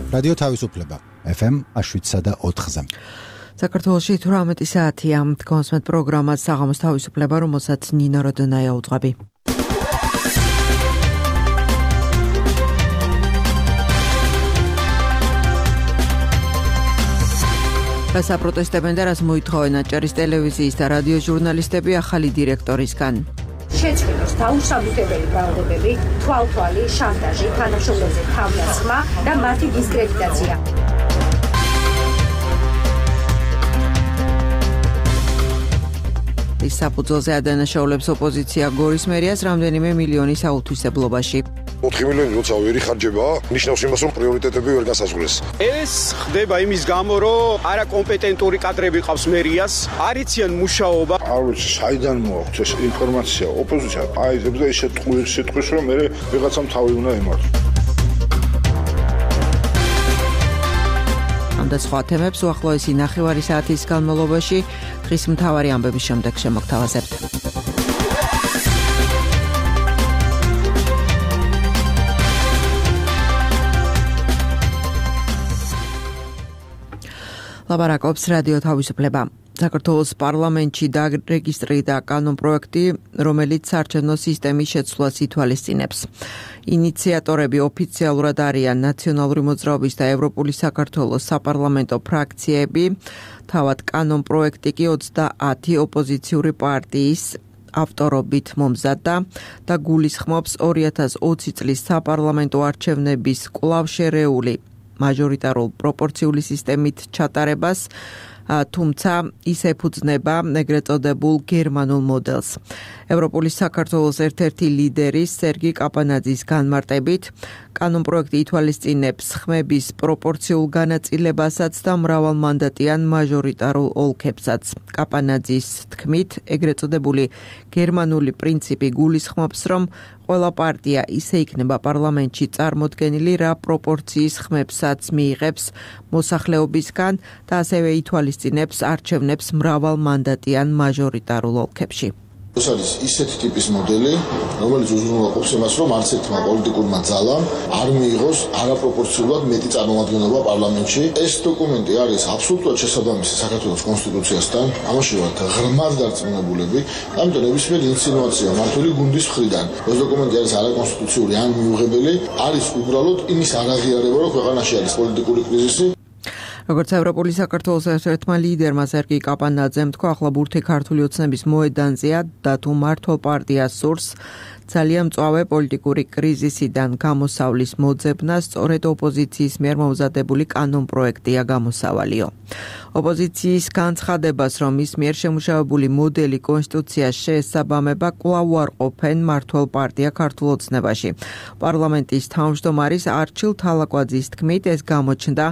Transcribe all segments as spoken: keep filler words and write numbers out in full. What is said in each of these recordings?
რადიო თავისუფლება ეფ ემ შვიდსა და ოთხზე. საქართველოში თვრამეტი საათია თქვენს პროგრამას საღამოს თავისუფლება, რომელსაც ნინო როდონაია უძღვები. გასაპროტესტებენ და რას მოითხოვენ აჭარის ტელევიზიის და რადიოს ჟურნალისტები ახალი დირექტორისგან. შეწყვეტოს დაუსაბუთებელი ბრალდებები, თვალთვალი, შანტაჟი, თანამშრომლებზე თავდასხმა და მათი დისკრედიტაცია. ის საფუძველზე ადანაშაულებს ოპოზიცია გორის მერიას რამდენიმე მილიონის აუთვისებლობაში. ოთხი მილიონი როცა ვერი ხარჯებაა, ნიშნავს იმას, რომ პრიორიტეტები ვერ გასაზღვრეს. ეს ხდება იმის გამო, რომ არაკომპეტენტური კადრები ყავს მერიას, არ იციან მუშაობა. არ ვიცი, საიდან მოაქვს ეს ინფორმაცია ოპოზიცია აიძებს და ისე ტყუილს სიტყვის, რომ მე ვიღაცამ თავი უნდა ემართოს. ამ და სხვა თემებს უახლოესი ნახევარი საათის განმავლობაში დღის მთავარი ამბების შემდეგ შემოგთავაზებთ. ლაბარაკობს რადიო თავისუფლება. საქართველოს პარლამენტში დარეგისტრირდა კანონპროექტი, რომელიც საარჩევნო სისტემის შეცვლას ითვალისწინებს. ინიციატორები ოფიციალურად არიან ნაციონალური მოძრაობის და ევროპული საქართველოს საპარლამენტო ფრაქციები. თავად კანონპროექტი კი ოცდაათი ოპოზიციური პარტიის ავტორობით მომზადდა და გულისხმობს ორი ათას ოცი წლის საპარლამენტო არჩევნების კვლავ შერეული მაჟორიტარულ პროპორციული სისტემით ჩატარებას, თუმცა ის ეფუძნება ეგრეთ წოდებულ გერმანულ მოდელს. ევროპული საქართველოს ერთ-ერთი ლიდერის სერგი კაპანაძის განმარტებით, კანონპროექტი ითვალისწინებს ხმების პროპორციულ განაწილებასაც და მრავალმანდატიან მაჟორიტარულ ოლქებსაც. კაპანაძის თქმით, ეგრეთ წოდებული გერმანული პრინციპი გულისხმობს, რომ ყველა პარტია ისე იქნება პარლამენტში წარმოდგენილი, რა პროპორციის ხმებსაც მიიღებს მოსახლეობისგან და ასევე ითვალისწინებს არჩევნებს მრავალმანდატიან მაჟორიტარულ ოლქებში. ეს არის ისეთი ტიპის მოდელი, რომელიც უზრუნველყოფს იმას, რომ არც ერთმა პოლიტიკურმა ძალამ არ მიიღოს არაპროპორციულად მეტი წარმომადგენლობა პარლამენტში. ეს დოკუმენტი არის აბსოლუტურად შესაბამისი საქართველოს კონსტიტუციასთან, ამაში ვართ ღრმად დარწმუნებულები, ამიტომ ნებისმიერი ინსინუაცია მართული გუნდის მხრიდან, ეს დოკუმენტი არის არაკონსტიტუციური ან მიუღებელი, არის უბრალოდ იმის არაღიარება, რომ ქვეყანაში არის პოლიტიკური კრიზისი. როგორც ევროპული საქართველოს ერთ-ერთმა ლიდერმა სერგი კაპანაძემ თქვა, ახლა ბურთი ქართული ოცნების მოედანზეა და თუ მართლ პარტიას სურს ძალიან მწვავე პოლიტიკური კრიზისიდან გამოსავლის მოძებნა სწორედ ოპოზიციის მიერ მომზადებული კანონპროექტია გამოსავალიო. ოპოზიციის განცხადებას, რომ ის მიერ შემუშავებული მოდელი კონსტიტუციას შეესაბამება, კვლავ უარყოფენ მართლ პარტია ქართულ ოცნებაში. პარლამენტის თავმჯდომარის არჩილ თალაკვაძის თქმით, ეს გამოჩნდა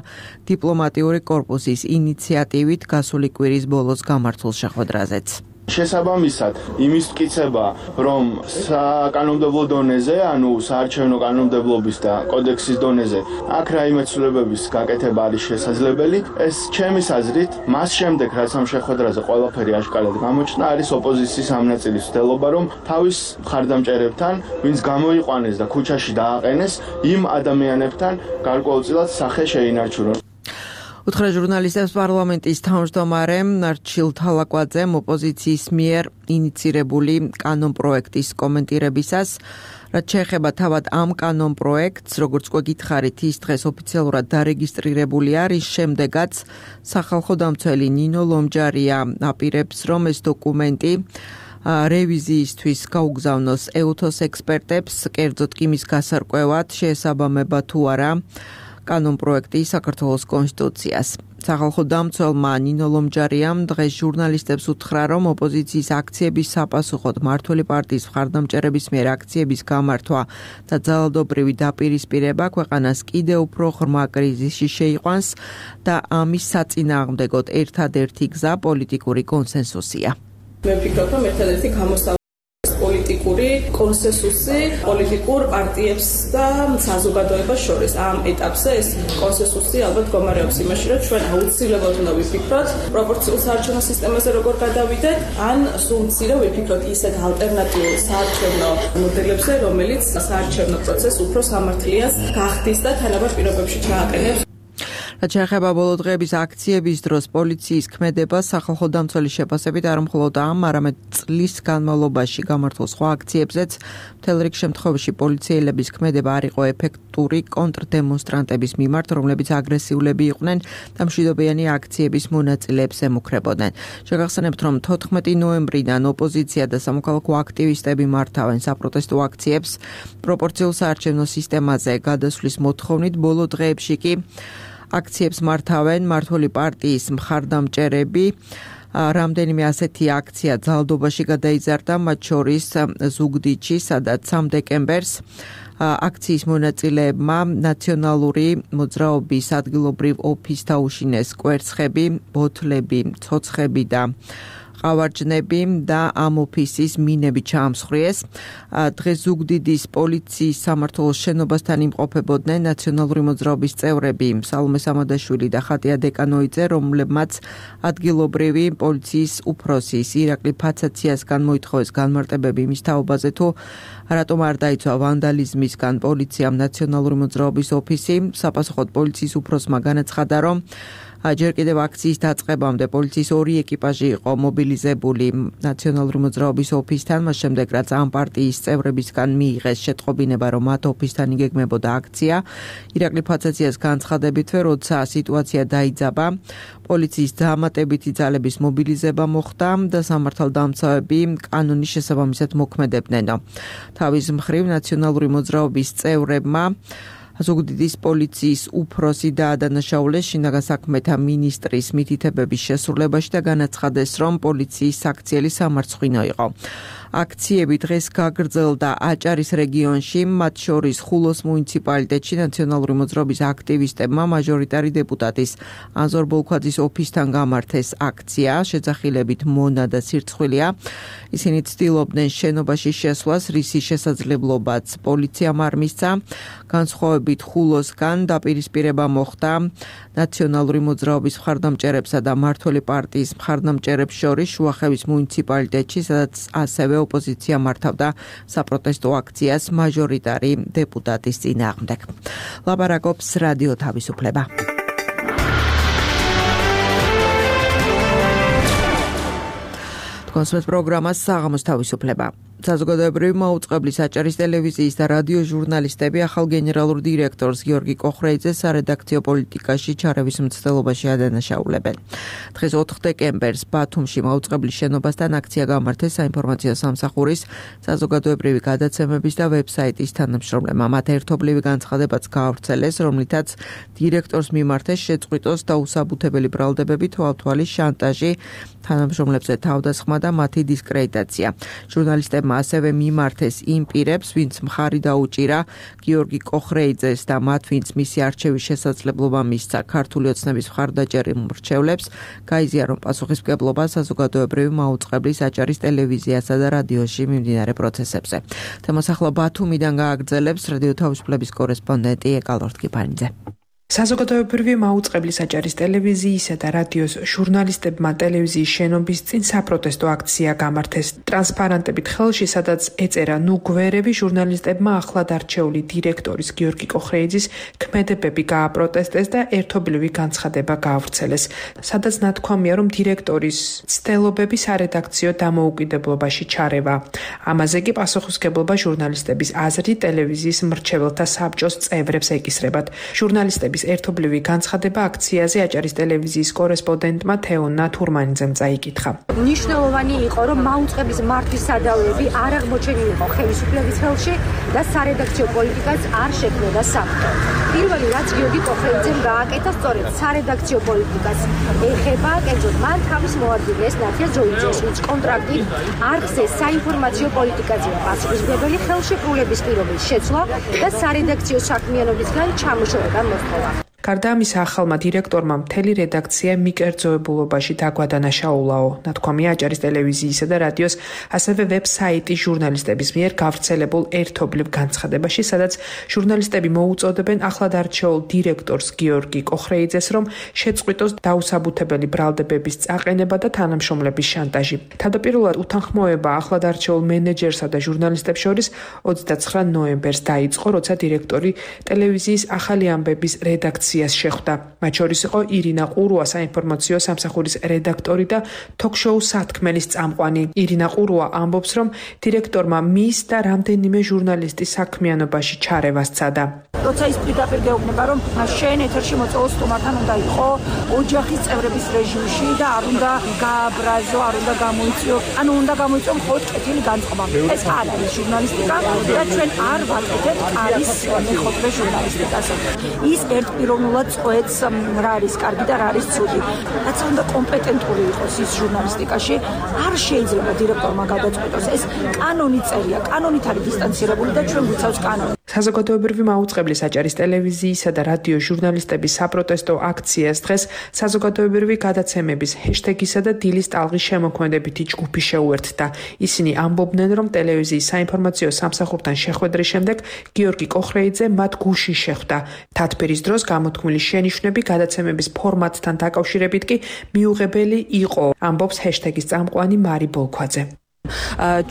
დიპლომატიური კორპუსის ინიციატივით გასული კვირის ბოლოს გამართულ შეხვედრაზეც. შესაბამისად, იმის მტკიცება, რომ საკანონმდებლო დონეზე, ანუ საარჩევნო კანონმდებლობის და კოდექსის დონეზე, აქ რაიმე ცვლილებების გაკეთება არის შესაძლებელი. ეს ჩემის აზრით, მას შემდეგ, რაც ამ შეხვედრაზე ყველაფერი აშკარად გამოჩნდა, არის ოპოზიციის ამ ნაწილის მცდელობა, რომ თავის მხარდამჭერებთან, ვინც გამოიყვანეს და ქუჩაში დააყენეს, იმ ადამიანებთან გარკვეულწილად სახე შეინარჩუნონ. უთხრა ჟურნალისტებს პარლამენტის თავმჯდომარემ არჩილ თალაკვაძემ ოპოზიციის მიერ ინიცირებული კანონპროექტის კომენტირებისას, რაც შეეხება თავად ამ კანონპროექტს, როგორც გვეკითხარით, ის დღეს ოფიციალურად დარეგისტრირებული არის, შემდეგაც სახალხო დამცველი ნინო ლომჯარია აპირებს, რომ ეს დოკუმენტი რევიზიისთვის გაუგზავნოს ეუთოს ექსპერტებს, კერძოდ კი მის გასარკვევად შეესაბამება თუ არა კანონპროექტი საქართველოს კონსტიტუციას. სახალხო დამცველმა ნინო ლომჯარიამ დღეს ჟურნალისტებს უთხრა, რომ ოპოზიციის აქციების საპასუხოდ მმართველი პარტიის მხარდამჭერების მიერ აქციების გამართვა და ძალადობრივი დაპირისპირება ქვეყანას კიდევ უფრო ღრმა კრიზისში შეიყვანს და ამის საწინააღმდეგოდ ერთადერთი გზა პოლიტიკური კონსენსუსია. მე ვფიქრობ, რომ ერთადერთი გამოსავალი პოლიტიკური კონსენსუსი პოლიტიკურ პარტიებს და საზოგადოებას შორის. ამ ეტაპზე ეს კონსენსუსი ალბათ მდგომარეობს იმაში, რომ ჩვენ აუცილებლად უნდა ვიფიქროთ პროპორციულ საარჩევნო სისტემაზე როგორ გადავიდეთ, ან სულ მცირე ვიფიქროთ ისეთ ალტერნატიულ საარჩევნო მოდელებზე, რომელიც საარჩევნო პროცესს უფრო სამართლიანს გახდის და თანაბარ პირობებში ჩააყენებს. რაც შეეხება ბოლო დღეების აქციების დროს პოლიციის ქმედებას სახალხო დამცველის შეფასებით არ მხოლოდ ამ, არამედ წლის განმავლობაში გამართულ სხვა აქციებზეც მთელ რიგ შემთხვევაში პოლიციელების ქმედება არ იყო ეფექტური კონტრდემონსტრანტების მიმართ, რომლებიც აგრესიულები იყვნენ და მშვიდობიანი აქციების მონაწილეებს ემუქრებოდნენ. შეგახსენებთ, რომ თოთხმეტი ნოემბრიდან ოპოზიცია და სამოქალაქო აქტივისტები მართავენ საპროტესტო აქციებს პროპორციულ საარჩევნო სისტემაზე გადასვლის მოთხოვნით. ბოლო დღეებში კი აქციებს მართავენ მმართველი პარტიის მხარდამჭერები. რამდენიმე ასეთი აქცია ძალდობაში გადაიზარდა, მათ შორის ზუგდიდში, სადაც სამი დეკემბერს აქციის მონაწილეებმა ნაციონალური მოძრაობის ადგილობრივ ოფისს დაუშინეს კვერცხები, ბოთლები, ცოცხები და ყავარჯნები და ამ ოფისის მინები ჩაამსხვრიეს. დღეს ზუგდიდის პოლიციის სამმართველოს შენობასთან იმყოფებოდნენ ნაციონალური მოძრაობის წევრები სალომე სამადაშვილი და ხატია დეკანოიძე, რომლებმაც ადგილობრივი პოლიციის უფროსის ირაკლი ფაცაციასგან მოითხოვეს განმარტებები იმის თაობაზე, თუ რატომ არ დაიცვა ვანდალიზმისგან პოლიციამ ნაციონალური მოძრაობის ოფისი. საპასუხოდ პოლიციის უფროსმა განაცხადა, რომ ჯერ კიდევ აქციის დაწყებამდე პოლიციის ორი ეკიპაჟი იყო მობილიზებული ნაციონალური მოძრაობის ოფისთან, მას შემდეგ რაც ამ პარტიის წევრებისგან მიიღეს შეტყობინება, რომ მათ ოფისთან იგეგმებოდა აქცია. ირაკლი ფაცაციას განცხადებითვე, როცა სიტუაცია დაიძაბა, პოლიციის დამატებითი ძალების მობილიზება მოხდა და სამართალდამცავები კანონის შესაბამისად მოქმედებდნენ. თავის მხრივ ნაციონალური მოძრაობის წევრებმა ზუგდიდის პოლიციის უფროსი დაადანაშაულეს შინაგან საქმეთა მინისტრის მითითებების შესრულებაში და განაცხადეს, რომ პოლიციის საქციელი სამარცხვინო იყო. აქციები დღეს გაგრძელდა აჭარის რეგიონში, მათ შორის ხულოს მუნიციპალიტეტში ნაციონალური მოძრაობის აქტივისტებმა მაჟორიტარი დეპუტატის ანზორ ბოლქვაძის ოფისთან გამართეს აქცია, შეძახილებით მონა და სირცხვილია. ისინი ცდილობდნენ შენობაში შესვლას, რისი შესაძლებლობაც პოლიციამ არ მისცა. განსხვავებით ხულოსგან დაპირისპირება მოხდა ნაციონალური მოძრაობის მხარდამჭერებსა და მმართველი პარტიის მხარდამჭერებს შორის შუახევის მუნიციპალიტეტში, სადაც ასევე ოპოზიცია მართავდა საპროტესტო აქციას მაჟორიტარი დეპუტატის წინააღმდეგ. ლაპარაკობს რადიო თავისუფლება. კონსერტ პროგრამას საღამოს თავისუფლება. საზოგადოებრივი მაუწყებლის აჭარის ტელევიზიის და რადიო ჟურნალისტები ახალ გენერალურ დირექტორს გიორგი კოხრეიძეს სარედაქციო პოლიტიკაში ჩარევის მცდელობაში ადანაშაულებენ. დღეს ოთხ დეკემბერს ბათუმში მაუწყებლის შენობასთან აქცია გამართეს საინფორმაციო სამსახურის საზოგადოებრივი გადაცემების და ვებსაიტის თანამშრომლებმა. მათ ერთობლივი განცხადებაც გაავრცელეს, რომლითაც დირექტორს მიმართეს შეწყვიტოს დაუსაბუთებელი ბრალდებები, თვალთვალის შანტაჟი, თანამშრომლებზე თავდასხმა და მათი დისკრედიტაცია. ჟურნალისტებმა ასევე მიმართეს იმ პირებს, ვინც მხარი დაუჭირა გიორგი კოხრეიძეს და მათ, ვინც მისი არჩევის შესაძლებლობა მისცა ქართული ოცნების მხარდაჭერილ მრჩევლებს, გაიზიარონ პასუხისმგებლობა საზოგადოებრივი მაუწყებლის აჭარის ტელევიზიასა და რადიოში მიმდინარე პროცესებზე. თემას ახლა ბათუმიდან გააგრძელებს რადიო თავისუფლების კორესპონდენტი ეკალორთ კიპანიძე. საზოგადოებრივი მაუწყებლის აჭარის ტელევიზიისა და რადიოს ჟურნალისტებმა ტელევიზიის შენობის წინ საპროტესტო აქცია გამართეს ტრანსპარანტებით ხელში, სადაც ეწერა ნუ გვერები ჟურნალისტებმა ახლად არჩეული დირექტორის გიორგი კოხრეიძის ქმედებები გააპროტესტეს და ერთობლივი განცხადება გაავრცელეს, სადაც ნათქვამია, რომ დირექტორის ცდელობები სარედაქციო დამოუკიდებლობაში ჩარევა. ამაზე კი პასუხისმგებლობა ჟურნალისტების აზრით ტელევიზიის მრჩეველთა საბჭოს წევრებს ეკისრებათ. ჟურნალისტები ერთობლივი განცხადება აქციაზე აჭარის ტელევიზიის კორესპონდენტმა თეონა თურმანიძემ წაიკითხა. მნიშვნელოვანი იყო, რომ მაუწყების მართვის სადავეები არ აღმოჩენილიყო ხელისუფლების ხელში და სარედაქციო პოლიტიკას არ შექმნოდა საბჭო. პირველი რაც გიორგი კოხრეიძემ გააკეთა, სწორედ სარედაქციო პოლიტიკას ეხება, კერძოდ მან თავის მოადგილეს ნათია ძოიძეს, ვინც კონტრაქტით არხზე საინფორმაციო პოლიტიკაზეა პასუხისმგებელი, ხელშეკრულების პირობის შეცვლა და სარედაქციო საქმიანობისგან ჩამოშორება მოსთხოვა. გარდა ამისა, ახალმა დირექტორმა მთელი რედაქცია მიკერძოებულობაში დაგვადანაშაულაო. ნათქვამია აჭარის ტელევიზიისა და რადიოს, ასევე ვებსაიტი ჟურნალისტების მიერ გავრცელებულ ერთობლივ განცხადებაში, სადაც ჟურნალისტები მოუწოდებენ ახლად არჩეულ დირექტორს გიორგი კოხრეიძეს, რომ შეწყვიტოს დაუსაბუთებელი ბრალდებების წაყენება და თანამშრომლების შანტაჟი. თავდაპირველად უთანხმოება ახლად არჩეულ მენეჯერსა და ჟურნალისტებს შორის ოცდაცხრა ნოემბერს დაიწყო, როცა დირექტორი ტელევიზიის ახალი ამბების რედაქცია აქციას შეხვდა. მათ შორის იყო ირინა ყურუა, საინფორმაციო სამსახურის რედაქტორი და თოქ-შოუ სათქმელის წამყვანი. ირინა ყურუა ამბობს, რომ დირექტორმა მის და რამდენიმე ჟურნალისტის საქმიანობაში ჩარევა სცადა. როცა ის პირდაპირ გეუბნება, რომ შენ ეთერში მოწვეულ სტუმართან უნდა იყო ოჯახის წევრების რეჟიმში და არ უნდა გააბრაზო, არ უნდა გამოიწვიო, ანუ უნდა გამოიწვიო მხოლოდ კეთილი განწყობა. ეს არ არის ჟურნალისტიკა და ჩვენ არ ვაკეთებთ არის მეხოთბე ჟურნალისტიკას. ის ერთპიროვნულად წყვეტს რა არის კარგი და რა არის ცუდი. რაც უნდა კომპეტენტური იყოს ის ჟურნალისტიკაში, არ შეიძლება დირექტორმა გადაწყვეტოს. ეს კანონი წერია, კანონით არის დისტანცირებული და ჩვენ გვიცავს კანონი. საზოგადოებრივი მაუწყებლი საჭარის ტელევიზიისა და რადიო ჟურნალისტების საპროტესტო აქციას დღეს საზოგადოებრივი გადაცემების ჰეშტეგისა და დილის ტალღის შემოქმედებითი ჯგუფი შეუერთდა. ისინი ამბობდნენ, რომ ტელევიზიის საინფორმაციო სამსახურთან შეხვედრის შემდეგ გიორგი კოხრეიძე მათ გუშინ შეხვდა. თათბირის დროს გამოთქმული შენიშვნები გადაცემების ფორმატთან დაკავშირებით კი მიუღებელი იყო, ამბობს ჰეშტეგის წამყვანი მარი ბოლქვაძე.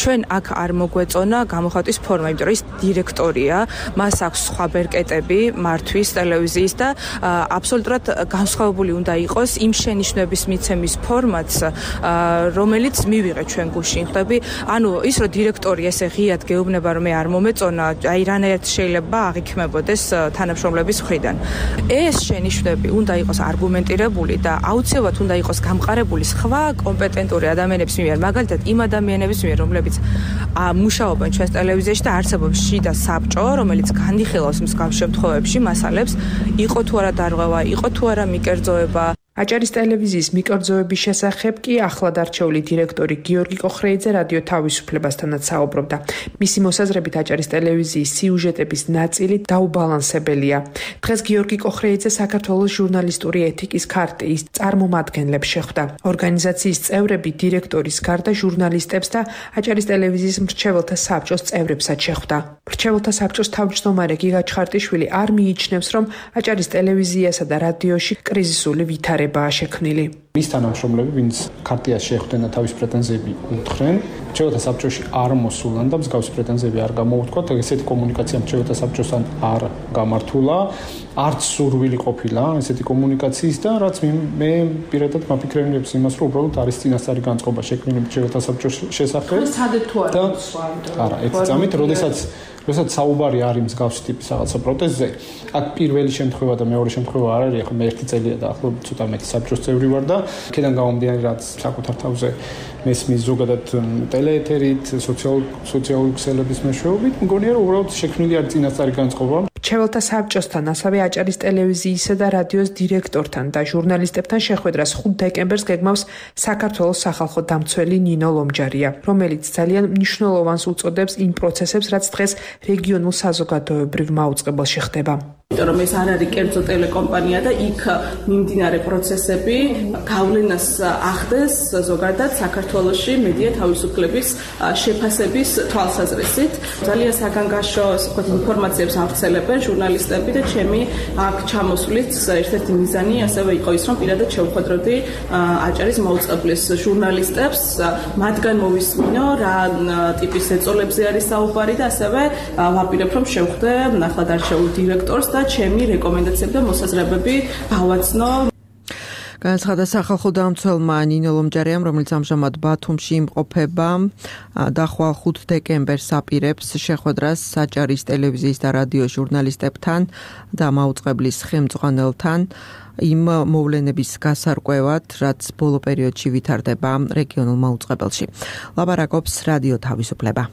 ჩვენ აქ არ მოგვეწონა გამოხატვის ფორმა, იმიტომ რომ ის დირექტორია, მას აქვს სხვა ბერკეტები მართვის ტელევიზიის და აბსოლუტურად განსხვავებული უნდა იყოს იმ შენიშვნების მიცემის ფორმატს, რომელიც მივიღეთ ჩვენ გუშინ. ხვდები, ანუ ის რომ დირექტორი ესე ღიად გეუბნება, რომ მე არ მომეწონა, აი რანაირად შეიძლება აღიქმებოდეს თანამშრომლების მხრიდან. ეს შენიშვნები უნდა იყოს არგუმენტირებული და აუცილებლად უნდა იყოს გამყარებული სხვა კომპეტენტური ადამიანების მიერ, მაგალითად იმ ადამიანების მიერ, რომლებიც მუშაობენ ჩვენს ტელევიზიაში და არსებობს შიდა საბჭო, რომელიც განიხილავს მსგავს შემთხვევებში მასალებს, იყო თუ არა დარღვევა, იყო თუ არა მიკერძოება. აჭარის ტელევიზიის მიკერძოების შესახებ კი ახლად არჩეული დირექტორი გიორგი კოხრეიძე რადიო თავისუფლებასთანაც საუბრობდა. მისი მოსაზრებით აჭარის ტელევიზიის სიუჟეტების ნაწილი დაუბალანსებელია. დღეს გიორგი კოხრეიძე საქართველოს ჟურნალისტური ეთიკის ქარტიის წარმომადგენლებს შეხვდა. ორგანიზაციის წევრები დირექტორის გარდა ჟურნალისტებს და აჭარის ტელევიზიის მრჩეველთა საბჭოს წევრებსაც შეხვდა. მრჩეველთა საბჭოს თავმჯდომარე გიგა ჩხარტიშვილი არ მიიჩნევს, რომ აჭარის ტელევიზიასა და რადიოში კრიზისული ვითარება შექმნილი. მის თანამშრომლები, ვინც ქარტიას შეხვდნენ და თავის პრეტენზიები უთხრენ, მრჩეველთა საბჭოში არ მოსულან და მსგავსი პრეტენზიები არ გამოუთქვათ, ესეთი კომუნიკაცია მრჩეველთა საბჭოსთან არ გამართულა, არც სურვილი ყოფილა ესეთი კომუნიკაციის და რაც მე პირადად მაფიქრებს იმას, რომ უბრალოდ არის წინასწარი განწყობა შექმნილი მრჩეველთა საბჭოს შესახებ. და არა, ერთი წამით, როდესაც როდესაც საუბარი არის მსგავსი ტიპის რაღაცა პროტესტზე, აქ პირველი შემთხვევა და მეორე შემთხვევა არ არის, ახლა მე ერთი წელია და ახლა ცოტა მეტი საბჭოს წევრი ვარ და აქედან გამომდინარე, რაც საკუთარ თავზე მესმის ზოგადად ტელეეთერით, სოციალური ქსელების მეშვეობით, მგონია რომ უბრალოდ შექმნილი არის წინასწარი განწყობა. მრჩეველთა საბჭოსთან, ასევე აჭარის ტელევიზიისა და რადიოს დირექტორთან და ჟურნალისტებთან შეხვედრას ხუთ დეკემბერს გეგმავს საქართველოს სახალხო დამცველი ნინო ლომჯარია, რომელიც ძალიან მნიშვნელოვანს უწოდებს იმ პროცესებს, რაც დღეს რეგიონულ საზოგადოებრივ მაუწყებელში ხდება. იმიტომ რომ ეს არ არის კერძო ტელეკომპანია და იქ მიმდინარე პროცესები გავლენას ახდენს ზოგადად საქართველოში მედია თავისუფლების შეფასების თვალსაზრისით. ძალიან საგანგაშო ინფორმაციებს ავრცელებენ ჟურნალისტები და ჩემი აქ ჩამოსვლით ერთ-ერთი მიზანი ასევე იყო ის, რომ პირადად შევხვედროდი აჭარის მაუწყებლის ჟურნალისტებს, მათგან მოვისმინო რა ტიპის ეწოლებზე არის საუბარი და ასევე ვაპირებ რომ შევხვდე ახლად არჩეულ დირექტორს და ჩემი რეკომენდაციები და მოსაზრებები გავაცნო. განაცხადა სახალხო დამცველმა ნინო ლომჯარიამ, რომელიც ამჟამად ბათუმში იმყოფება და ხვალ ხუთ დეკემბერს აპირებს შეხვედრას აჭარის ტელევიზიის და რადიოს ჟურნალისტებთან და მაუწყებლის ხელმძღვანელთან იმ მოვლენების გასარკვევად, რაც ბოლო პერიოდში ვითარდება რეგიონულ მაუწყებელში. ლაპარაკობს რადიო თავისუფლება.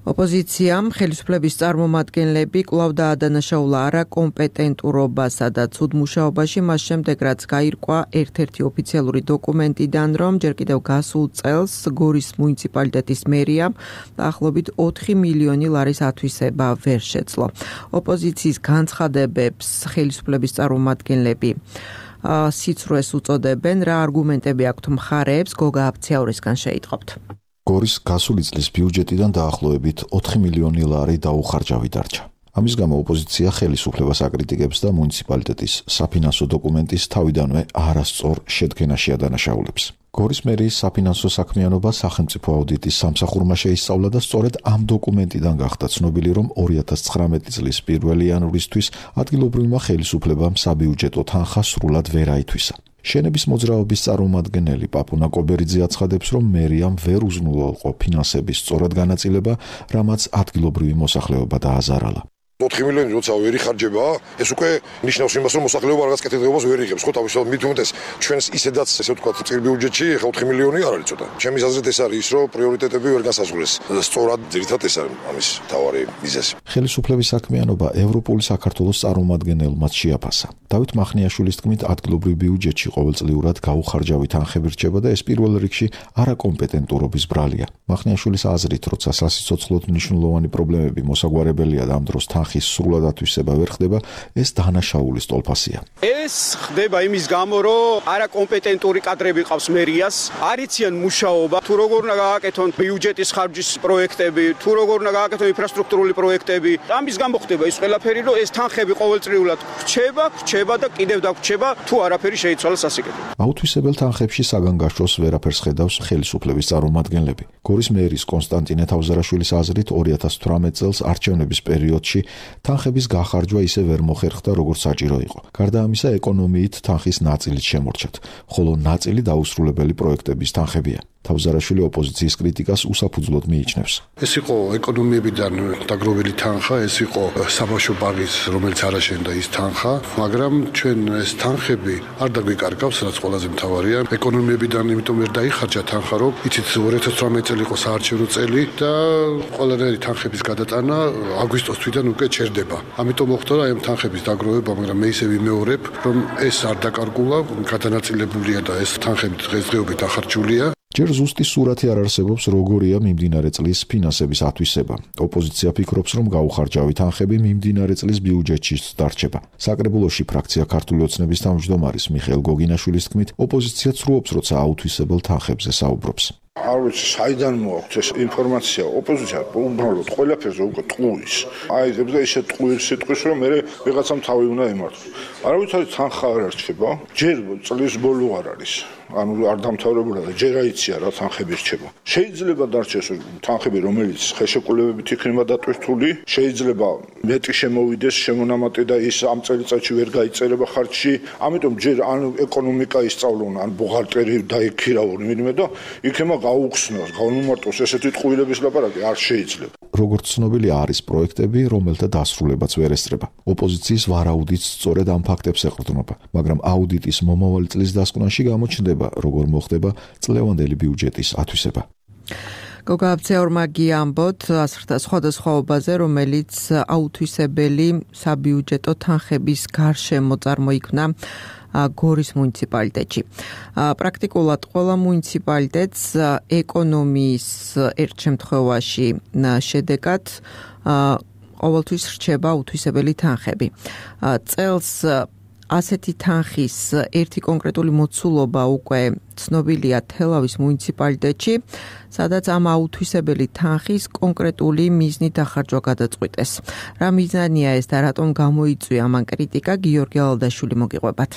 ოპოზიციამ ხელისუფლების წარმომადგენლები კვლავ დაადანაშაულა არაკომპეტენტურობასა და ცუდ მუშაობაში, მას შემდეგ რაც გაირკვა ერთ-ერთი ოფიციალური დოკუმენტიდან, რომ ჯერ კიდევ გასულ წელს გორის მუნიციპალიტეტის მერიამ დაახლოებით ოთხი მილიონი ლარის ათვისება ვერ შეძლო. ოპოზიციის განცხადებებს ხელისუფლების წარმომადგენლები სიცრუეს უწოდებენ, რა არგუმენტები აქვთ მხარეებს, გოგა აფციაურისგან შეიტყობთ. გორის გასული წლის ბიუჯეტიდან დაახლოებით ოთხი მილიონი ლარი დაუხარჯავი დარჩა. ამის გამო ოპოზიცია ხელისუფლებას აკრიტიკებს და მუნიციპალიტეტის საფინანსო დოკუმენტის თავიდანვე არასწორ შედგენაში ადანაშაულებს. გორის მერიის საფინანსო საქმიანობა სახელმწიფო აუდიტის სამსახურმა შეისწავლა და სწორედ ამ დოკუმენტიდან გახდა ცნობილი, რომ ორი ათას ცხრამეტი წლის პირველი იანვრისთვის ადგილობრივმა ხელისუფლებამ საბიუჯეტო თანხა სრულად ვერ აითვისა. შენების მოძრაობის წარმომადგენელი პაპუნა კობერიძე აცხადებს, რომ მერიამ ვერ უზრუნველყო ფინანსების სწორად განაწილება, რამაც ადგილობრივი მოსახლეობა დააზარალა. ოთხი მილიონი როცა ვერ იხარჯება, ეს უკვე ნიშნავს იმას, რომ მოსახლეობა რაღაცა კეთილდღეობას ვერ იღებს, ხო, თავისთავად მით უმეტეს ჩვენს ისედაც, ესე ვთქვათ, წიერ ბიუჯეტში ხა ოთხი მილიონი არ არის ცოტა. ჩემი აზრით ეს არის ის, რომ პრიორიტეტები ვერ განსაზღვრეს. სწორად ძირითადად ეს არის ამის მთავარი მიზეზი. ხელისუფლების საქმიანობა ევროპული საქართველოს წარმომადგენელმაც შეაფასა. დავით მახნიაშვილის თქმით, ადგილობრივ ბიუჯეტში ყოველწლიურად გაუხარჯავი თანხები რჩება და ეს პირველ რიგში არაკომპეტენტურობის ბრალია. მახნიაშვილის აზრით, როცა სასიცოცხლოდ მნიშვნელოვანი პრობლემები მოსაგვარებელია და ამ დროს ხის სრულად ათვისება ვერ ხდება, ეს დანაშაულის ტოლფასია. ეს ხდება იმის გამო, რომ არაკომპეტენტური კადრები ყავს მერიას, არიციან მუშაობა, თუ როგორ უნდა გააკეთონ ბიუჯეტის ხარჯის პროექტები, თუ როგორ უნდა გააკეთონ ინფრასტრუქტურული პროექტები. ამის გამო ხდება ის ყველაფერი, რომ ეს თანხები ყოველწლიურად რჩება, რჩება და კიდევ დაგრჩება, თუ არაფერი შეიცვალა სასიკეთო. აუთვისებელ თანხებში საგანგაშოს ვერაფერს ხედავს ხელისუფლების წარმომადგენლები. გორის მერის კონსტანტინე თავზარაშვილის აზრით ორი ათას თვრამეტ წელს არჩევნების პერიოდში თანხების გახარჯვა ისე ვერ მოხერხდა, როგორც საჭირო იყო. გარდა ამისა, ეკონომიით თანხის ნაწილიც შემორჩათ, ხოლო ნაწილი დაუსრულებელი პროექტების თანხებია. თავზარაშვილი ოპოზიციის კრიტიკას უსაფუძვლოდ მიიჩნევს. ეს იყო ეკონომიებიდან დაგროვილი თანხა, ეს იყო საბავშვო ბაღის, რომელიც არ აშენდა ის თანხა, მაგრამ ჩვენ ეს თანხები არ დაგვიკარგავს, რაც ყველაზე მთავარია. ეკონომიებიდან იმიტომ ვერ დაიხარჯა თანხა, რომ იცით ორი ათას თვრამეტი წელი იყო საარჩევნო წელი და ყველანაირი თანხების გადატანა აგვისტოს თვიდან უკვე ჩერდება. ამიტომ მოხდა რა ამ თანხების დაგროვება, მაგრამ მე ისე ვიმეორებ, რომ ეს არ დაკარგულა, გადანაწილებულია და ეს თანხები დღესდღეობით ახარჯულია. ჯერ ზუსტი სურათი არ არსებობს, როგორია მიმდინარე წლის ფინანსების ათვისება. ოპოზიცია ფიქრობს, რომ გაუხარჯავი თანხები მიმდინარე წლის ბიუჯეტშიც დარჩება. საკრებულოში ფრაქცია ქართული ოცნების თავმჯდომარის მიხეილ გოგინაშვილის თქმით, ოპოზიცია ცრუობს, როცა აუთვისებელ თანხებზე საუბრობს. არ ვიცი, საიდან მოაქვს ეს ინფორმაცია, ოპოზიცია უბრალოდ ყველაფერზე უკვე ტყუის. აიძებს და ისე ტყუის სიტყვის, რომ მე ვიღაცამ თავი უნდა ემართოს. არავითარი თანხა არ რჩება, ჯერ წლის ბოლო არ არის. ანუ არ დამთავრებულა და ჯერ აიცია რა თანხები რჩება. შეიძლება დარჩეს თანხები, რომელიც ხელშეკრულებებით იქნება დატვირთული, შეიძლება მეტი შემოვიდეს შემონამატი და ის ამ წელიწადში ვერ გაიწერება ხარჯში. ამიტომ ჯერ ან ეკონომიკა ისწავლონ, ან ბუღალტერი დაიქირავონ ვინმე და იქნება გაუხსნოს, გაუნმარტოს ესეთი ტყუილების ლაპარაკი არ შეიძლება. როგორც ცნობილი არის პროექტები, რომელთა დასრულებაც ვერ ესწრება. ოპოზიციის ვარაუდიც სწორედ ამ ფაქტებს ეყრდნობა, მაგრამ აუდიტის მომავალი წლის დასკვნაში გამოჩნდება, როგორ მოხდება წლევანდელი ბიუჯეტის ათვისება. გოგა აბცეორმა გიამბოთ ასრთა სხვადასხვაობაზე, რომელიც აუთვისებელი საბიუჯეტო თანხების გარშემო წარმოიქმნა გორის მუნიციპალიტეტში. პრაქტიკულად ყველა მუნიციპალიტეტს ეკონომიის ერთ შემთხვევაში შედეგად ყოველთვის რჩება უთვისებელი თანხები. წელს ასეთი თანხის ერთი კონკრეტული მოცულობა უკვე ცნობილია თელავის მუნიციპალიტეტში, სადაც ამ აუთვისებელი თანხის კონკრეტული მიზნით დახარჯვა გადაწყვიტეს. რა მიზანია ეს და რატომ გამოიწვია ამან კრიტიკა, გიორგი ალადაშვილი მოგიყვებათ.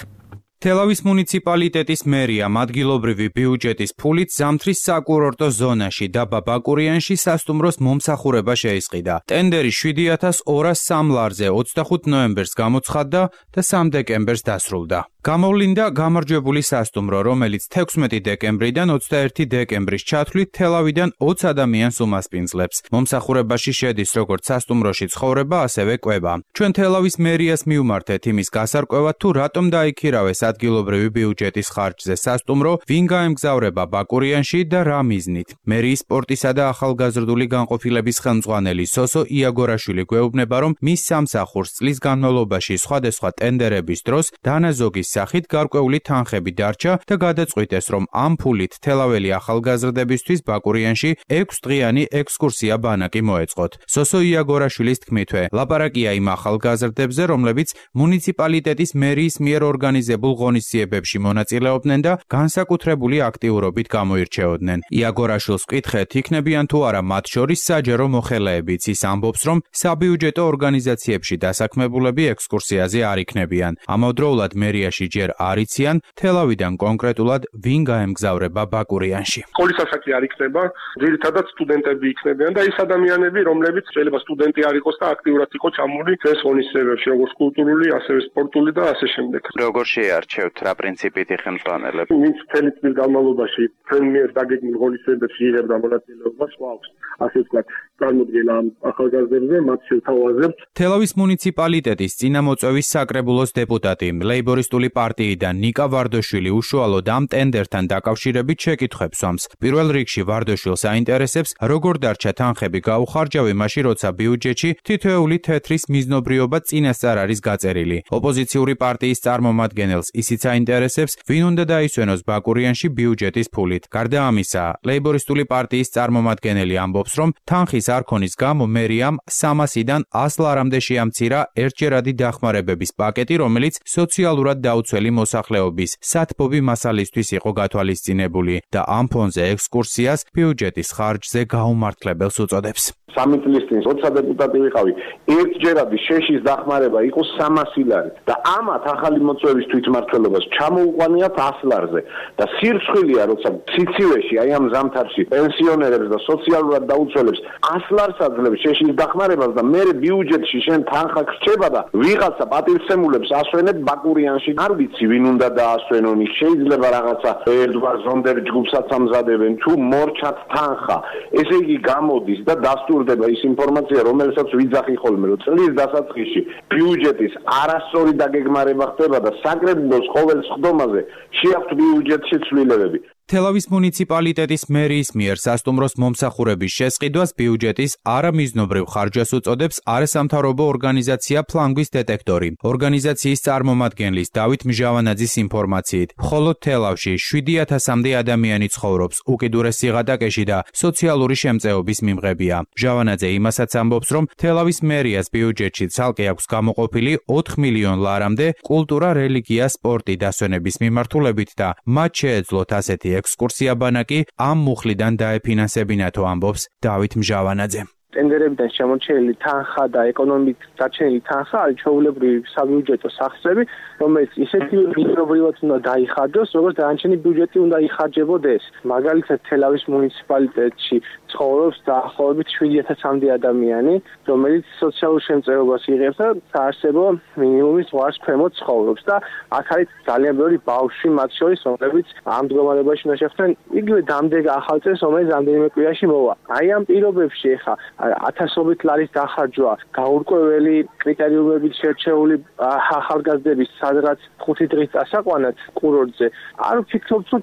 თელავის მუნიციპალიტეტის მერიამ ადგილობრივი ბიუჯეტის ფულით ზამთრის საკურორტო ზონაში და ბაბაკურიანში სასტუმროს მომსახურება შეისყიდა. ტენდერი შვიდი ათას ორას სამ ლარზე ოცდახუთ ნოემბერს გამოცხადდა და სამ დეკემბერს დასრულდა. გამოვლინდა გამარჯვებული სასტუმრო, რომელიც თექვსმეტი დეკემბრიდან ოცდაერთი დეკემბრის ჩათვლით თელავიდან ოცი ადამიანს უმასპინძლებს. მომსახურებაში შედის როგორც სასტუმროში ცხოვრება, ასევე კვება. ჩვენ თელავის მერიას მივმართეთ იმის გასარკვევად, თუ რატომ დაიქირავეს ადგილობრივი ბიუჯეტის ხარჯზე სასტუმრო, ვინ გაემგზავრება ბაკურიანში და რა მიზნით. მერიის სპორტისა და ახალგაზრდული განყოფილების ხელმძღვანელი სოსო იაგორაშვილი გვეუბნება, რომ მის სამსახურს წლის განმავლობაში სხვადასხვა ტენდერების დროს დანაზოგის სახით გარკვეული თანხები დარჩა და გადაწყვიტეს, რომ ამ ფულით თელაველი ახალგაზრდებისთვის ბაკურიანში ექვსდღიანი ექსკურსია ბანაკი მოეწყოთ. სოსო იაგორაშვილის თქმითვე, ლაპარაკია იმ ახალგაზრდებზე, რომლებიც მუნიციპალიტეტის მერიის მიერ ორგანიზებულ ღონისძიებებში მონაწილეობდნენ და განსაკუთრებული აქტიურობით გამოირჩეოდნენ. იაგორაშვილს ვკითხეთ, იქნებიან თუ არა მათ შორის საჯარო მოხელეებიც. ის ამბობს, რომ საბიუჯეტო ორგანიზაციებში დასაქმებულები ექსკურსიაზე არ იქნებიან. ამავდროულად მერიაში სოფელში ჯერ არ იციან, თელავიდან კონკრეტულად ვინ გაემგზავრება ბაკურიანში. სკოლის ასაკი არ იქნება, ძირითადად სტუდენტები იქნებიან და ის ადამიანები, რომლებიც შეიძლება სტუდენტი არ იყოს და აქტიურად იყო ჩამული ეს ღონისძიებებში, როგორც კულტურული, ასევე სპორტული და ასე შემდეგ. როგორ შეარჩევთ, რა პრინციპით იხელმძღვანელებ? ვინც მთელი წლის განმავლობაში ჩვენ მიერ დაგეგმილ ღონისძიებებში იღებდა მონაწილეობას, ყავს ასე ვთქვათ, წარმოდგენა ამ ახალგაზრდებზე, მათ შევთავაზებთ. თელავის მუნიციპალიტეტის წინამოწვევის საკრებულოს დეპუტატი, ლეიბორისტული პარტიიდან ნიკა ვარდოშვილი უშუალოდ ამ ტენდერთან დაკავშირებით შეკითხვებს სვამს. პირველ რიგში ვარდოშვილს აინტერესებს, როგორ დარჩა თანხები გაუხარჯავი მაშინ, როცა ბიუჯეტში თითოეული თეთრის მიზნობრიობა წინასწარ არის გაწერილი. ოპოზიციური პარტიის წარმომადგენელს ისიც აინტერესებს, ვინ უნდა დაისვენოს ბაკურიანში ბიუჯეტის ფულით. გარდა ამისა, ლეიბორისტული პარტიის წარმომადგენელი ამბობს, რომ თანხის არქონის გამო მერიამ სამასიდან ას ლარამდე შეამცირა ერთჯერადი დახმარებების პაკეტი, რომელიც სოციალურად დაუცველი მოსახლეობის სათბობი მასალისთვის იყო გათვალისწინებული და ამ ფონზე ექსკურსიას ბიუჯეტის ხარჯზე გაუმართლებელს უწოდებს. სამი წლის წინ როცა დეპუტატი ვიყავი, ერთჯერადი შეშის დახმარება იყო სამასი ლარი და ამათ ახალი მოწვევის თვითმმართველობას ჩამოუყვანიათ ას ლარზე და სირცხვილია, როცა ციცივეში აი ამ ზამთარში პენსიონერებს და სოციალურად დაუცველებს ას ლარს აძლევს შეშის დახმარებას და მე ბიუჯეტში შენ თანხა გრჩება და ვიღაცა პატივცემულებს ასვენებ ბაკურიანში. არ ვიცი ვინ უნდა დაასვენონ, შეიძლება რაღაცა ერთგვარ ზონდერ ჯგუფსაც ამზადებენ თუ მორჩათ თანხა. ესე იგი გამოდის და დასტურდება ის ინფორმაცია, რომელსაც ვიძახი ხოლმე, რომ წლის დასაწყისში ბიუჯეტის არასწორი დაგეგმარება ხდება და საკრებულოს ყოველ სხდომაზე შეაქვთ ბიუჯეტში ცვლილებები. თელავის მუნიციპალიტეტის მერიის მიერ სასტუმროს მომსახურების შესყიდვას ბიუჯეტის არამიზნობრივ ხარჯვას უწოდებს არასამთავრობო ორგანიზაცია ფლანგვის დეტექტორი. ორგანიზაციის წარმომადგენლის დავით მჟავანაძის ინფორმაციით, მხოლოდ თელავში შვიდი ათასამდე ადამიანი ცხოვრობს უკიდურეს სიღატაკეში და სოციალური შემწეობის მიმღებია. მჟავანაძე იმასაც ამბობს, რომ თელავის მერიას ბიუჯეტში ცალკე აქვს გამოყოფილი ოთხ მილიონ ლარამდე კულტურა, რელიგია, სპორტი დასვენების მიმართულებით და მათ შეეძლოთ ასეთი ექსკურსია ბანაკი ამ მუხლიდან დაეფინანსებინათო, ამბობს დავით მჟავანაძე. ტენდერებიდან შემორჩენილი თანხა და ეკონომიკ დარჩენილი თანხა არის ჩვეულებრივი საბიუჯეტო სახსრები, რომელიც ისეთი მიზნობრივად უნდა დაიხარჯოს, როგორც დანარჩენი ბიუჯეტი უნდა იხარჯებოდეს. მაგალითად, თელავის მუნიციპალიტეტში ცხოვრობს დაახლოებით შვიდი ათასამდე ადამიანი, რომელიც სოციალურ შემწეობას იღებს და საარსებო მინიმუმის ზღვარს ქვემოთ ცხოვრობს და აქ არის ძალიან ბევრი ბავშვი მათ შორის, რომლებიც ამ მდგომარეობაში უნდა შეხვდნენ იგივე დამდეგ ახალ წელს, რომელიც რამდენიმე კვირაში მოვა. აი ამ პირობებში ხა ათასობით ლარის დახარჯვა, გაურკვეველი კრიტერიუმებით შერჩეული ახალგაზრდების სადღაც ხუთი დღის წასაყვანად კურორტზე. არ ვფიქრობ, რომ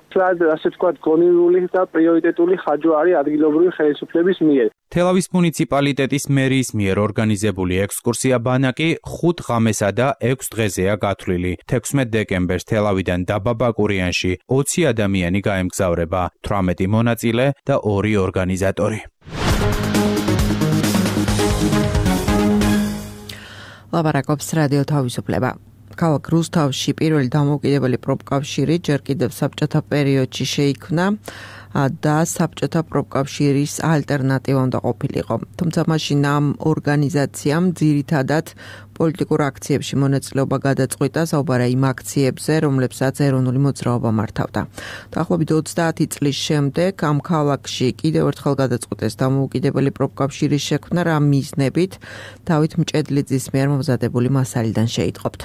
ასე ვთქვათ, გონივრული და პრიორიტეტული ხარჯვა არის ადგილობრივი ხელისუფლების მიერ. თელავის მუნიციპალიტეტის მერიის მიერ ორგანიზებული ექსკურსია ბანაკი ხუთ ღამესა და ექვს დღეზეა გათვლილი. თექვსმეტ დეკემბერს თელავიდან დაბა ბაკურიანში ოცი ადამიანი გაემგზავრება, თვრამეტი მონაწილე და ორი ორგანიზატორი. ლაპარაკობს რადიო თავისუფლება. ქალაქ რუსთავში პირველი დამოუკიდებელი პროფკავშირი ჯერ კიდევ საბჭოთა პერიოდში შეიქმნა და საბჭოთა პროფკავშირის ალტერნატივა უნდა ყოფილიყო. თუმცა მაშინ ამ ორგანიზაციამ ძირითადად პოლიტიკურ აქციებში მონაწილეობა გადაწყვიტა, საუბარა იმ აქციებზე, რომლებსაც ეროვნული მოძრაობა მართავდა. დაახლოებით ოცდაათი წლის შემდეგ ამ ქალაქში კიდევ ერთხელ გადაწყვიტეს დამოუკიდებელი პროფკავშირის შექმნა, რა მიზნებით დავით მჭედლიძის მიერ მომზადებული მასალიდან შეიტყობთ.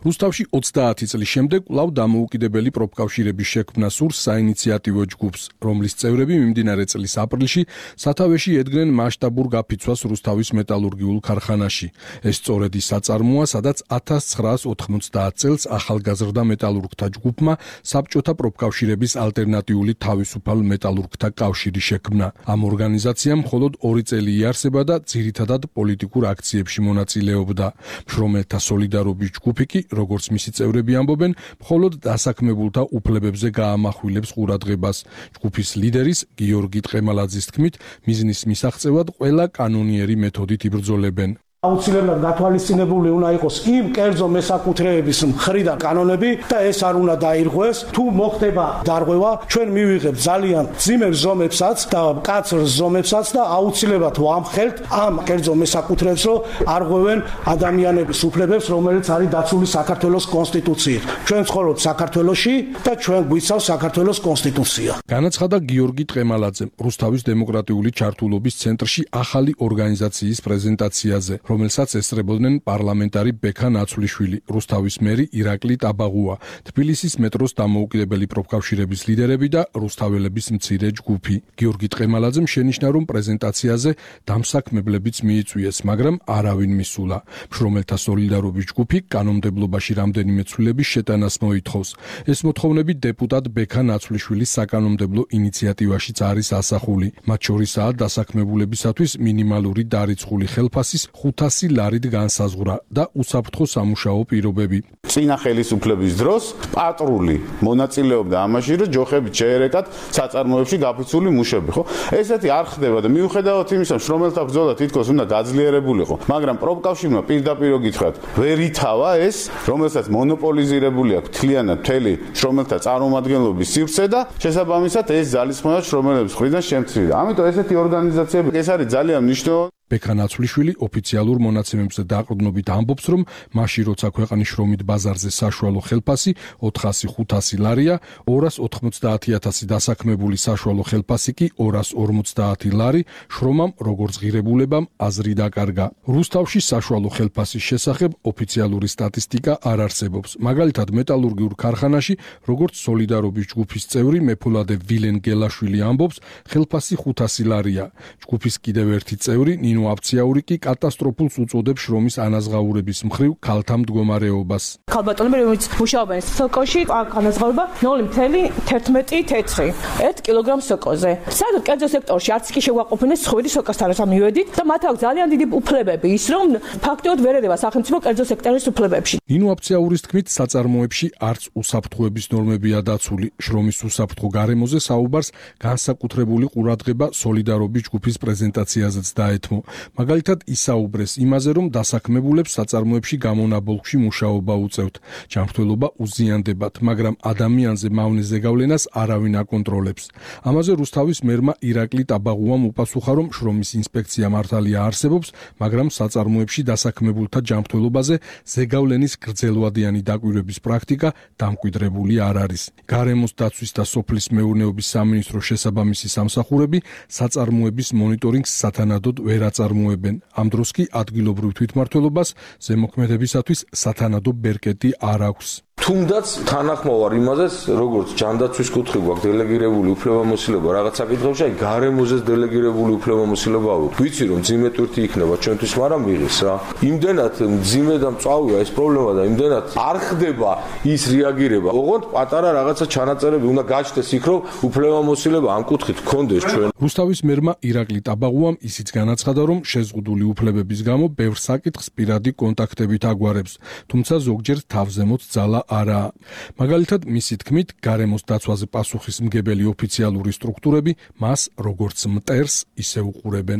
რუსთავში ოცდაათი წლის შემდეგ კვლავ დამოუკიდებელი პროფკავშირების შექმნა სურს საინიციატივო ჯგუფს, რომლის წევრები მიმდინარე წლის აპრილში სათავეში ედგნენ მასშტაბურ გაფიცვას რუსთავის მეტალურგიულ ქარხანაში. ეს სწორედ ის საწარმოა, სადაც ათას ცხრაას ოთხმოცდაათ წელს ახალგაზრდა მეტალურგთა ჯგუფმა საბჭოთა პროფკავშირების ალტერნატიული თავისუფალ მეტალურგთა კავშირი შექმნა. ამ ორგანიზაციამ მხოლოდ ორი წელი იარსება და ძირითადად პოლიტიკურ აქციებში მონაწილეობდა. მშრომელთა სოლიდარობის ჯგუფი კი როგორც მისი წევრები ამბობენ, მხოლოდ დასაქმებულთა უფლებებზე გაამახვილებს ყურადღებას. ჯგუფის ლიდერის გიორგი ტყემალაძის თქმით, მიზნის მისაღწევად ყველა კანონიერი მეთოდით იბრძოლებენ. აუცილებლად გათვალისწინებული უნდა იყოს იმ კერძო მესაკუთრეების მხრიდან კანონები და ეს არ უნდა დაირღვეს. თუ მოხდება დარღვევა, ჩვენ მივიღებთ ძალიან ძიმერ ზომებსაც და მკაცრ ზომებსაც და აუცილებლად ვამხელთ ამ კერძო მესაკუთრეებს, რომ არღვევენ ადამიანების უფლებებს, რომელიც არის დაცული საქართველოს კონსტიტუციით. ჩვენ ცხოვრობთ საქართველოში და ჩვენ გვიცავს საქართველოს კონსტიტუცია. განაცხადა გიორგი ტყემალაძემ რუსთავის დემოკრატიული ჩართულობის ცენტრში ახალი ორგანიზაციის პრეზენტაციაზე, რომელსაც ესწრებოდნენ პარლამენტარი ბექა ნაცვლიშვილი, რუსთავის მერი ირაკლი ტაბაღუა, თბილისის მეტროს დამოუკიდებელი პროფკავშირების ლიდერები და რუსთაველების მცირე ჯგუფი. გიორგი ტყემალაძემ შენიშნა, რომ პრეზენტაციაზე დამსაქმებლებიც მიიწვიეს, მაგრამ არავინ მისულა. მშრომელთა სოლიდარობის ჯგუფი კანონმდებლობაში რამდენიმე ცვლილების შეტანას მოითხოვს. ეს მოთხოვნები დეპუტატ ბექა ნაცვლიშვილის საკანონმდებლო ინიციატივაშიც არის ასახული. მათ შორისაა დასაქმებულებისათვის მინიმალური დარიცხული ხელფასის ხუთასი ლარით განსაზღვრა და უსაფრთხო სამუშაო პირობები. წინა ხელისუფლების დროს პატრული მონაწილეობდა ამაში, რომ ჯოხებით შეერეკათ საწარმოებში გაფიცული მუშები, ხო? ესეთი არ ხდება და მიუხედავად იმისა, შრომელთა ბრძოლა თითქოს უნდა გაძლიერებულიყო, მაგრამ პროფკავშირმა პირდაპირ გითხრათ, ვერ ითავა ეს, რომელსაც მონოპოლიზირებული აქვს თლიანად მთელი შრომელთა წარმომადგენლობის სივრცე და შესაბამისად ეს ძალისხმევა შრომელების მხრიდან შემცირდა. ამიტომ ესეთი ორგანიზაციები ეს არის ძალიან მნიშვნელოვანი. ბექა ნაცვლიშვილი ოფიციალურ მონაცემებზე დაყრდნობით ამბობს, რომ მაშინ როცა ქვეყნის შრომით ბაზარზე საშუალო ხელფასი ოთხასი ხუთასი ლარია, ორას ოთხმოცდაათი ათასი დასაქმებული საშუალო ხელფასი კი ორას ორმოცდაათი ლარი, შრომამ როგორც ღირებულებამ აზრი დაკარგა. რუსთავში საშუალო ხელფასის შესახებ ოფიციალური სტატისტიკა არ არსებობს. მაგალითად, მეტალურგიულ ქარხანაში, როგორც სოლიდარობის ჯგუფის წევრი მეფოლადე ვილენ გელაშვილი ამბობს, ხელფასი ხუთასი ლარია. ჯგუფის კიდევ ერთი წევრი ნინო აფციაური კი კატასტროფულს უწოდებს შრომის ანაზღაურების მხრივ ქალთა მდგომარეობას. ქალბატონები, რომელიც მუშაობენ სოკოში, ანაზღაურება ნული ფاصლე თერთმეტი თეთრი ერთ კილოგრამ სოკოზე. საერთოდ კერძო სექტორში არც კი შეგვაყოფინეს ცხვირი სოკოსთან როცა მივედით და მათ აქვს ძალიან დიდი უფლებები, ის რომ ფაქტობრივად ვერ ედება სახელმწიფო კერძო სექტორის უფლებებში. ნინო აფციაურის თქმით, საწარმოებში არც უსაფრთხოების ნორმებია დაცული. შრომის უსაფრთხო გარემოზე საუბარს განსაკუთრებული ყურადღება სოლიდარობის ჯგუფის პრეზენტაციაზეც დაეთმო. მაგალითად ისაუბრეს იმაზე, რომ დასაქმებულებს საწარმოებში გამონაბოლქვში მუშაობა უწევთ. ჯანმრთელობა უზიანდებათ, მაგრამ ადამიანზე მავნე ზეგავლენას არავინ აკონტროლებს. ამაზე რუსთავის მერმა ირაკლი ტაბაღუამ უპასუხა, რომ შრომის ინსპექცია მართალია არსებობს, მაგრამ საწარმოებში დასაქმებულთა ჯანმრთელობაზე ზეგავლენის გრძელვადიანი დაკვირვების პრაქტიკა დამკვიდრებული არ არის. გარემოს დაცვის და სოფლის მეურნეობის სამინისტროს შესაბამისი სამსახურები საწარმოების მონიტორინგს სათანადოდ ვერ აწარმოებენ. ამ დროს კი ადგილობრივ თვითმმართველობას ზემოქმედებისათვის სათანადო ბერკეტი არ აქვს. თუნდაც თანახმოვარ იმაზეც, როგორც ჯანდაცვის კუთხე გვაქვს დელეგირებული უფლებამოსილება რაღაც საკითხებში, აი გარემოზეც დელეგირებული უფლებამოსილება აქვს. ვიცი რომ ძიმე ტვირთი იქნება ჩვენთვის, მაგრამ ვიღეს რა. იმდენად ძიმე და მწვავეა ეს პრობლემა და იმდენად არ ხდება ის რეაგირება. ოღონდ პატარა რაღაცა ჩანაწერები უნდა გაჩნდეს იქ, რომ უფლებამოსილება ამ კუთხით გქონდეს ჩვენ. რუსთავის მერმა ირაკლი ტაბაღუამ ისიც განაცხადა, რომ შეზღუდული უფლებების გამო ბევრ საკითხს პირადი კონტაქტებით აგვარებს, თუმცა ზოგჯერ თავზემოთ ძალა არა. მაგალითად, მისი თქმით, გარემოს დაცვაზე პასუხისმგებელი ოფიციალური სტრუქტურები მას როგორც მტერს ისე უყურებენ.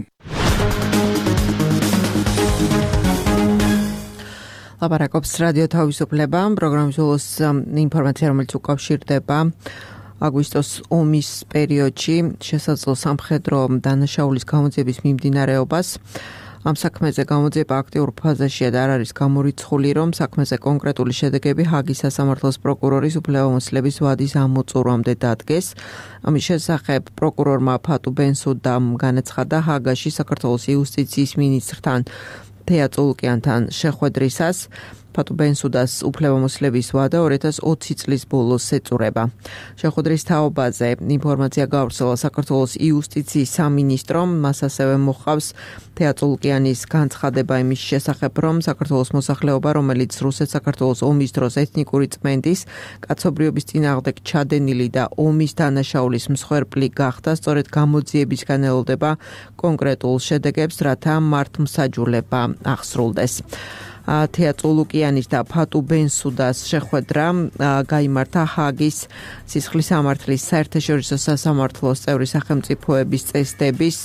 ლაპარაკობს რადიო თავისუფლება, პროგრამის ბოლოს ინფორმაცია, რომელიც უკავშირდება აგვისტოს ომის პერიოდში შესაძლო სამხედრო დანაშაულის გამოძიების მიმდინარეობას. ამ საქმეზე გამოძიება აქტიურ ფაზაშია და არ არის გამორიცხული, რომ საქმეზე კონკრეტული შედეგები ჰაგის სასამართლოს პროკურორის უფლებამოსილების ვადის ამოწურვამდე დადგეს. ამის შესახებ პროკურორმა ფატუ ბენსუდამ განაცხადა ჰაგაში საქართველოს იუსტიციის მინისტრთან თეა წულუკიანთან შეხვედრისას. ფატუ ბენსუდას უფლებამოსილების ვადა ორი ათას ოცი წლის ბოლოს ეწურება. შეხვედრის თაობაზე ინფორმაცია გავრცელა საქართველოს იუსტიციის სამინისტრომ, მას ასევე მოჰყავს თეა წულუკიანის განცხადება იმის შესახებ, რომ საქართველოს მოსახლეობა, რომელიც რუსეთ-საქართველოს ომის დროს ეთნიკური წმენდის, კაცობრიობის წინააღმდეგ ჩადენილი და ომის დანაშაულის მსხვერპლი გახდა, სწორედ გამოძიებისგან ელოდება კონკრეტულ შედეგებს, რათა მართლმსაჯულება ახსრულდეს. თეა წულუკიანის და ფატუ ბენსუდას შეხვედრა გაიმართა ჰაგის სისხლის სამართლის საერთაშორისო სასამართლოს წევრი სახელმწიფოების წესდების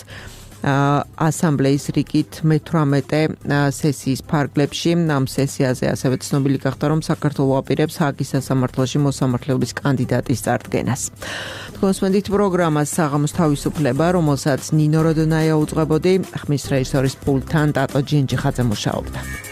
ასამბლეის რიგით მეთვრამეტე სესიის ფარგლებში. ამ სესიაზე ასევე ცნობილი გახდა, რომ საქართველო აპირებს ჰააგის სასამართლოში მოსამართლეობის კანდიდატის წარდგენას. თქვენსმენდით პროგრამას საღამოს თავისუფლება, რომელსაც ნინო როდონაია უძღვებოდი, ხმის რეჟისორის პულტთან ტატო ჯინჯიხაძე მუშაობდა.